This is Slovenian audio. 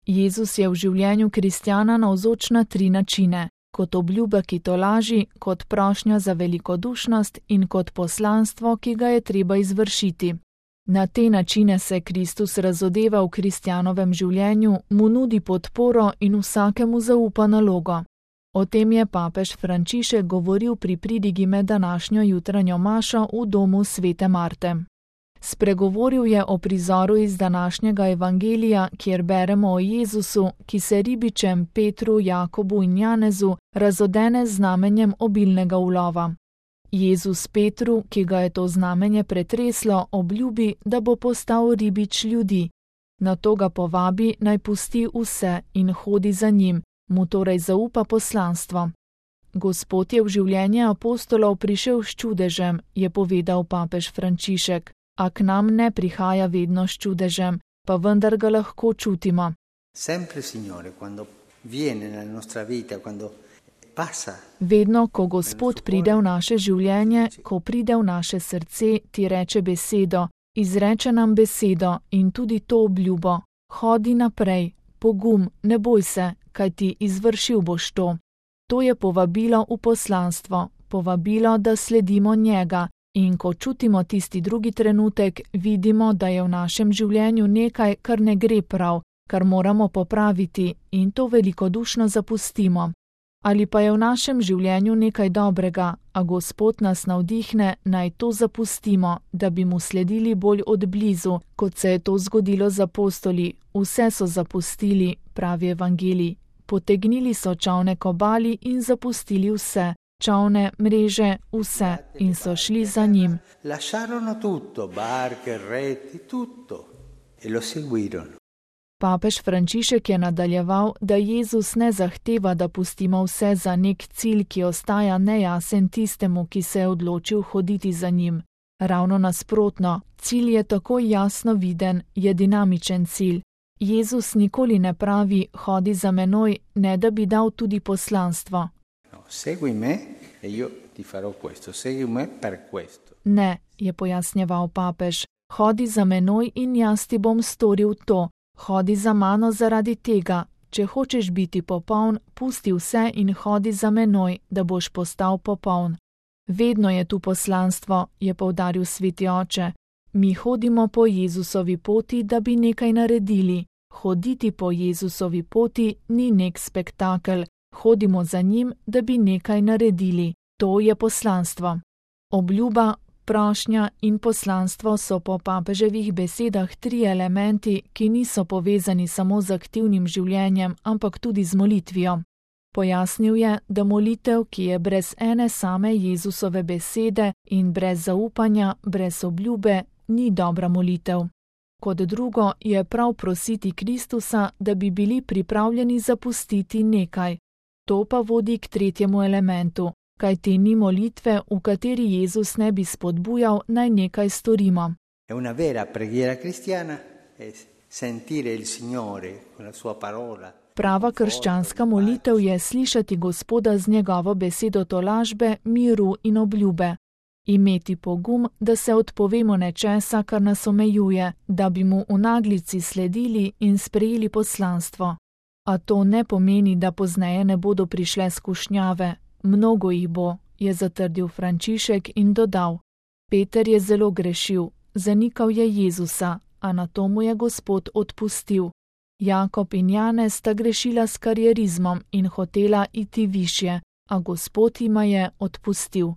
Jezus je v življenju kristjana navzoč na 3 načine: kot obljuba, ki tolaži, kot prošnja za velikodušnost in kot poslanstvo, ki ga je treba izvršiti. Na te načine se Kristus razodeva v kristjanovem življenju, mu nudi podporo in vsakemu zaupa nalogo. O tem je papež Frančišek govoril pri pridigi med današnjo jutranjo mašo v domu svete Marte. Spregovoril je o prizoru iz današnjega evangelija, kjer beremo o Jezusu, ki se ribičem Petru, Jakobu in Janezu razodene z znamenjem obilnega ulova. Jezus Petru, ki ga je to znamenje pretreslo, obljubi, da bo postal ribič ljudi. Nato ga povabi, naj pusti vse in hodi za njim, mu torej zaupa poslanstvo. Gospod je v življenje apostolov prišel s čudežem, je povedal papež Frančišek, a k nam ne prihaja vedno s čudežem, pa vendar ga lahko čutimo. Sempre, Signore, quando viene nella nostra vita, quando passa. Vedno, ko Gospod pride v naše življenje, ko pride v naše srce, ti reče besedo, izreče nam besedo in tudi to obljubo. Hodi naprej, pogum, ne boj se, kajti izvršil boš to. To je povabilo v poslanstvo, povabilo, da sledimo njega. In ko čutimo tisti drugi trenutek, vidimo, da je v našem življenju nekaj, kar ne gre prav, kar moramo popraviti in to velikodušno zapustimo. Ali pa je v našem življenju nekaj dobrega, a Gospod nas navdihne, naj to zapustimo, da bi mu sledili bolj od blizu, kot se je to zgodilo z apostoli. Vse so zapustili, pravi evangelij. Potegnili so čolne k obali in zapustili vse. Čolne, mreže, vse in so šli za njim. Lasciarono tutto, barche, reti, tutto, e lo seguirono. Papež Frančišek je nadaljeval, da Jezus ne zahteva, da pustimo vse za nek cilj, ki ostaja nejasen tistemu, ki se je odločil hoditi za njim. Ravno nasprotno, cilj je tako jasno viden, je dinamičen cilj. Jezus nikoli ne pravi, hodi za menoj, ne da bi dal tudi poslanstvo. Segui me e io ti farò questo, segui me per questo. Ne, je pojasnjeval papež, hodi za menoj in jaz ti bom storil to. Hodi za mano zaradi tega. Če hočeš biti popoln, pusti vse in hodi za menoj, da boš postal popoln. Vedno je tu poslanstvo, je poudaril sveti oče. Mi hodimo po Jezusovi poti, da bi nekaj naredili. Hoditi po Jezusovi poti ni nek spektakel. Hodimo za njim, da bi nekaj naredili. To je poslanstvo. Obljuba, prošnja in poslanstvo so po papeževih besedah 3 elementi, ki niso povezani samo z aktivnim življenjem, ampak tudi z molitvijo. Pojasnil je, da molitev, ki je brez ene same Jezusove besede in brez zaupanja, brez obljube, ni dobra molitev. Kot drugo je prav prositi Kristusa, da bi bili pripravljeni zapustiti nekaj. To pa vodi k 3. elementu, kajti ni molitve, v kateri Jezus ne bi spodbujal, naj nekaj storimo. È una vera preghiera cristiana, è sentire il Signore con la sua parola. Prava krščanska molitev je slišati Gospoda z njegovo besedo tolažbe, miru in obljube. Imeti pogum, da se odpovemo nečesa, kar nas omejuje, da bi mu v naglici sledili in sprejeli poslanstvo. A to ne pomeni, da pozneje ne bodo prišle skušnjave. Mnogo jih bo, je zatrdil Frančišek in dodal. Peter je zelo grešil, zanikal je Jezusa, a nato mu je Gospod odpustil. Jakob in Janez sta grešila s karierizmom in hotela iti višje, a Gospod jima je odpustil.